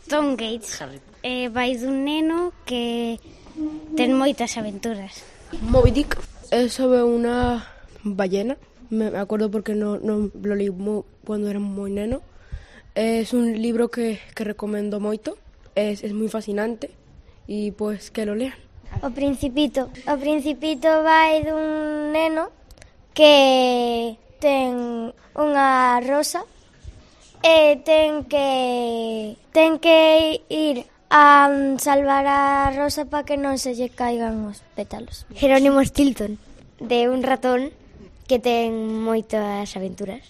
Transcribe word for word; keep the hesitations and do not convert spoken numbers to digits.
Tom Gates. Eh, vai dun neno que ten moitas aventuras. Moby Dick es sobre una ballena. Me acuerdo porque no, no lo leí muy, cuando era moi neno. Es un libro que, que recomendo moito. Es, es moi fascinante e pois que lo lean. O Principito. O Principito vai dun neno que ten unha rosa e ten que ten que ir a salvar a rosa para que non se lle caigan os pétalos. Jerónimo Stilton, de un ratón que ten moitas aventuras.